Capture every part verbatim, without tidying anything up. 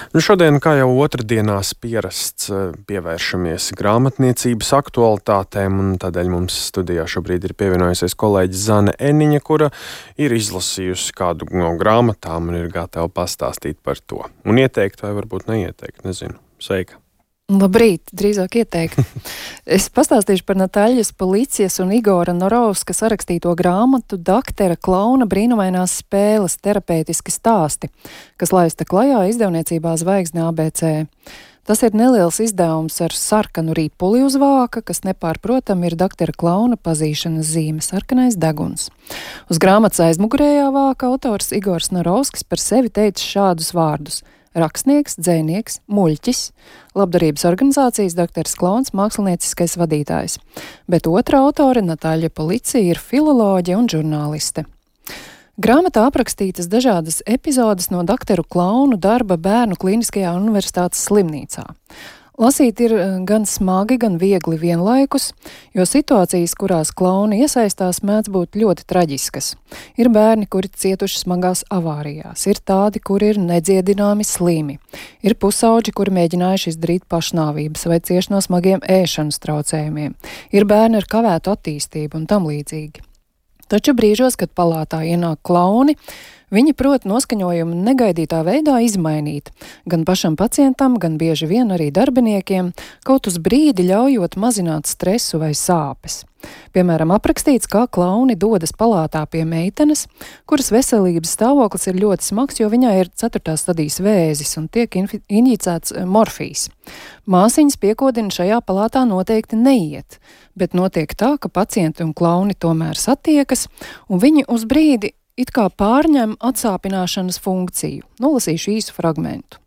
Nu, šodien, kā jau otrdienās pierasts, pievēršamies grāmatniecības aktualitātēm, un tādēļ mums studijā šobrīd ir pievienojusies kolēģe Zane Eniņa, kura ir izlasījusi kādu no grāmatām un ir gatava pastāstīt par to. Un ieteikt vai varbūt neieteikt, nezinu. Sveika! Labrīt, drīzāk ieteikt. Es pastāstīšu par Nataļas Policijas un Igora Norovska sarakstīto grāmatu Daktera Klauna brīnumainās spēles terapeitiski stāsti, kas laista klajā izdevniecībā Zvaigzne A B C. Tas ir neliels izdevums ar sarkanu ripuli uz vāka, kas nepārprotam ir Daktera Klauna pazīšanas zīme sarkanais deguns. Uz grāmatas aizmugurējā vāka autors Igors Norovskis par sevi teica šādus vārdus: rakstnieks, dzejnieks, muļķis, labdarības organizācijas Dakters Klauns, mākslinieckais vadītājs. Bet otra autore, Nataļa Policija, ir filoloģe un žurnāliste. Grāmatā aprakstītas dažādas epizodes no Dakteru Klaunu darba Bērnu Kliniskajā universitātes slimnīcā. Lasīt ir gan smagi, gan viegli vienlaikus, jo situācijas, kurās klauni iesaistās, mēdz būt ļoti traģiskas. Ir bērni, kuri cietuši smagās avārijās, ir tādi, kuri ir nedziedināmi slimi, ir pusauģi, kuri mēģinājuši izdarīt pašnāvības vai cieši no smagiem ēšanas traucējumiem, ir bērni ar kavētu attīstību un tam līdzīgi. Taču brīžos, kad palātā ienāk klauni, viņi prot noskaņojumu negaidītā veidā izmainīt, gan pašam pacientam, gan bieži vien arī darbiniekiem, kaut uz brīdi ļaujot mazināt stresu vai sāpes. Piemēram, aprakstīts, kā klauni dodas palātā pie meitenes, kuras veselības stāvoklis ir ļoti smags, jo viņai ir ceturtās stadijas vēzis un tiek injicēts morfijs. Māsiņas piekodina šajā palātā noteikti neiet, bet notiek tā, ka pacienti un klauni tomēr satiekas, un viņi uz brīdi it kā pārņem atsāpināšanas funkciju. Nolasīšu īsu fragmentu.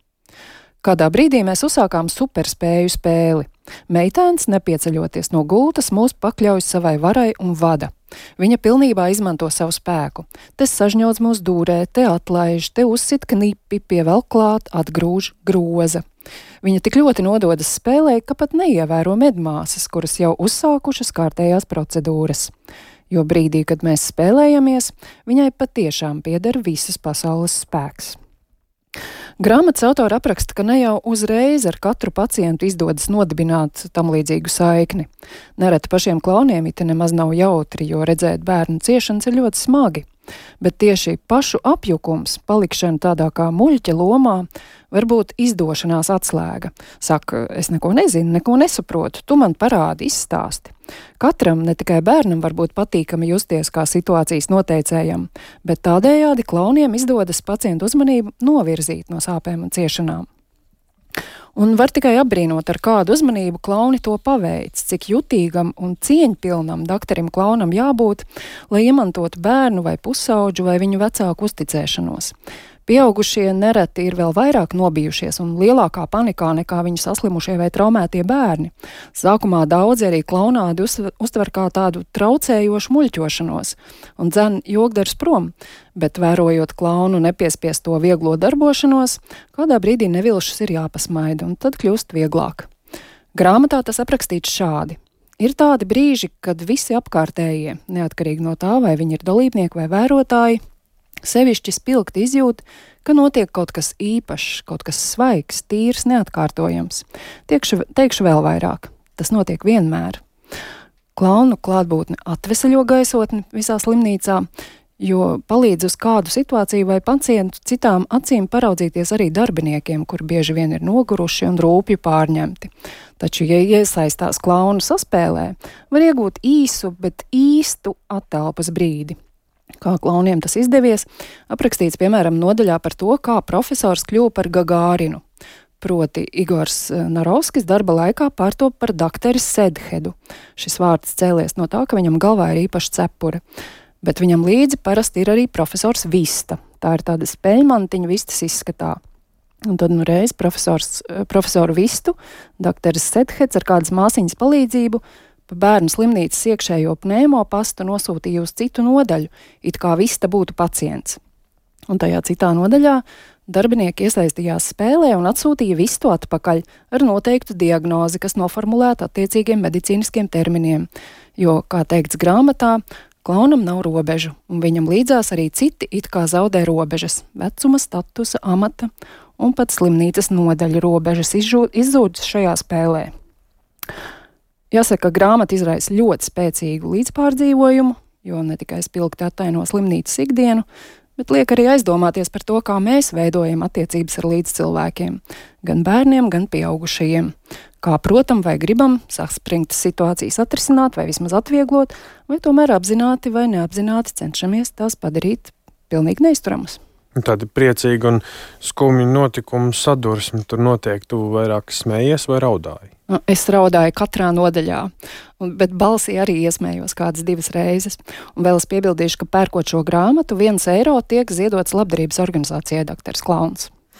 Kādā brīdī mēs uzsākām superspēju spēli. Meitēns, nepieceļoties no gultas, mūs pakļauj savai varai un vada. Viņa pilnībā izmanto savu spēku. Te sažņauc mūs dūrē, te atlaiž, te uzsit knipi, pievelk klāt, atgrūž, groza. Viņa tik ļoti nododas spēlē, ka pat neievēro medmāsas, kuras jau uzsākušas kārtējās procedūras. Jo brīdī, kad mēs spēlējamies, viņai patiešām pieder visas pasaules spēks. Grāmatas autora apraksta, ka ne jau uzreiz ar katru pacientu izdodas nodibināt tam līdzīgu saikni. Nereti pašiem klauniem it nemaz nav jautri, jo redzēt bērnu ciešanas ir ļoti smagi. Bet tieši pašu apjukums, palikšana tādā kā muļķa lomā, var būt izdošanās atslēga. Saka, es neko nezinu, neko nesaprotu, tu man parādi, izstāsti. Katram, ne tikai bērnam, var būt patīkami justies kā situācijas noteicējam, bet tādējādi klauniem izdodas pacientu uzmanību novirzīt no sāpēm un ciešanām. Un var tikai apbrīnot, ar kādu uzmanību klauni to paveic, cik jutīgam un cieņpilnam dakterim klaunam jābūt, lai iemantotu bērnu vai pusauģu vai viņu vecāku uzticēšanos. Pieaugušie nereti ir vēl vairāk nobijušies un lielākā panikā nekā viņu saslimušie vai traumētie bērni. Sākumā daudzi arī klaunādi uztver kā tādu traucējošu muļķošanos un dzen jogdars prom, bet vērojot klaunu nepiespiesto vieglo darbošanos, kādā brīdī nevilšas ir jāpasmaida un tad kļūst vieglāk. Grāmatā tas aprakstīts šādi. Ir tādi brīži, kad visi apkārtējie, neatkarīgi no tā, vai viņi ir dalībnieki vai vērotāji, sevišķi spilgti izjūt, ka notiek kaut kas īpašs, kaut kas svaigs, tīrs, neatkārtojams. Tiekšu, teikšu vēl vairāk. Tas notiek vienmēr. Klaunu klātbūtne atveseļo gaisotni visā slimnīcā, jo palīdz uz kādu situāciju vai pacientu citām acīm paraudzīties arī darbiniekiem, kur bieži vien ir noguruši un rūpju pārņemti. Taču, ja iesaistās klaunu saspēlē, var iegūt īsu, bet īstu attelpas brīdi. Kā klauniem tas izdevies, aprakstīts piemēram nodaļā par to, kā profesors kļuva par Gagārinu. Proti Igors Norovskis darba laikā pārtop par dakteri Sedhedu. Šis vārds cēlies no tā, ka viņam galvā ir īpaša cepura. Bet viņam līdzi parasti ir arī profesors Vista. Tā ir tāda speļmantiņa vistas izskatā. Un tad nu reiz profesors, profesoru Vistu, dakteris Sedheds ar kādas māsiņas palīdzību pa bērnu slimnīcas iekšējo pneimopastu nosūtīja uz citu nodaļu, it kā Vista būtu pacients. Un tajā citā nodaļā darbinieki iesaistījās spēlē un atsūtīja Vistu atpakaļ ar noteiktu diagnozi, kas noformulēta attiecīgiem medicīniskiem terminiem, jo, kā teikts grāmatā, klaunam nav robežu, un viņam līdzās arī citi it kā zaudē robežas – vecuma, statusa, amata un pat slimnīcas nodaļu robežas izzūdas šajā spēlē. Jāsaka, ka grāmata izraisa ļoti spēcīgu līdzpārdzīvojumu, jo ne tikai spilgti attaino slimnīcas ikdienu, bet liek arī aizdomāties par to, kā mēs veidojam attiecības ar līdzcilvēkiem, gan bērniem, gan pieaugušajiem. Kā protam vai gribam saspringtas situācijas atrisināt vai vismaz atvieglot, vai tomēr apzināti vai neapzināti cenšamies tās padarīt pilnīgi neizturamas. Tādi priecīgi un skumji notikumu sadursmi tur notiek, tu vairāk smējies vai raudāji? Es raudāju katrā nodaļā, bet balsī arī iesmējos kādas divas reizes. Un vēl es piebildīšu, ka pērkot šo grāmatu, viens eiro tiek ziedots labdarības organizācijai Doktors Klauns.